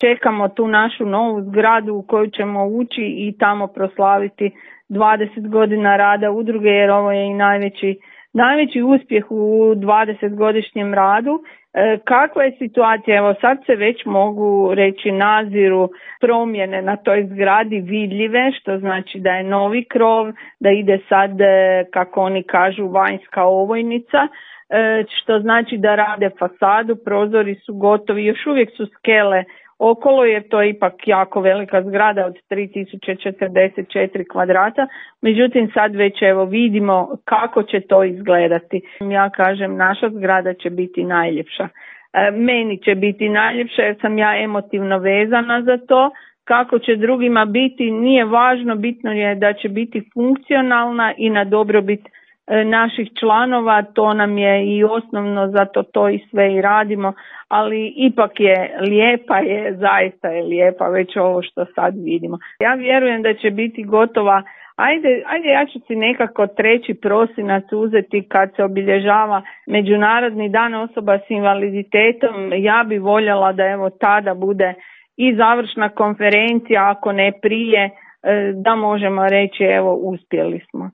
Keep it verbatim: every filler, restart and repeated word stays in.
čekamo tu našu novu zgradu u koju ćemo ući i tamo proslaviti dvadeset godina rada udruge, jer ovo je i najveći, najveći uspjeh u dvadesetgodišnjem radu. E, kakva je situacija? Evo sad se već mogu reći naziru promjene na toj zgradi vidljive, što znači da je novi krov, da ide sad, kako oni kažu, vanjska ovojnica, e, što znači da rade fasadu, prozori su gotovi, još uvijek su skele okolo, jer to je ipak jako velika zgrada od tri tisuće četrdeset četiri kvadrata, međutim sad već evo vidimo kako će to izgledati. Ja kažem, naša zgrada će biti najljepša. E, meni će biti najljepša jer sam ja emotivno vezana za to. Kako će drugima biti nije važno, bitno je da će biti funkcionalna i na dobrobit naših članova, to nam je i osnovno, zato to i sve i radimo, ali ipak je lijepa, je, zaista je lijepa već ovo što sad vidimo. Ja vjerujem da će biti gotova, ajde, ajde ja ću si nekako treći prosinac uzeti kad se obilježava Međunarodni dan osoba s invaliditetom. Ja bi voljela da evo tada bude i završna konferencija, ako ne prije, da možemo reći evo uspjeli smo.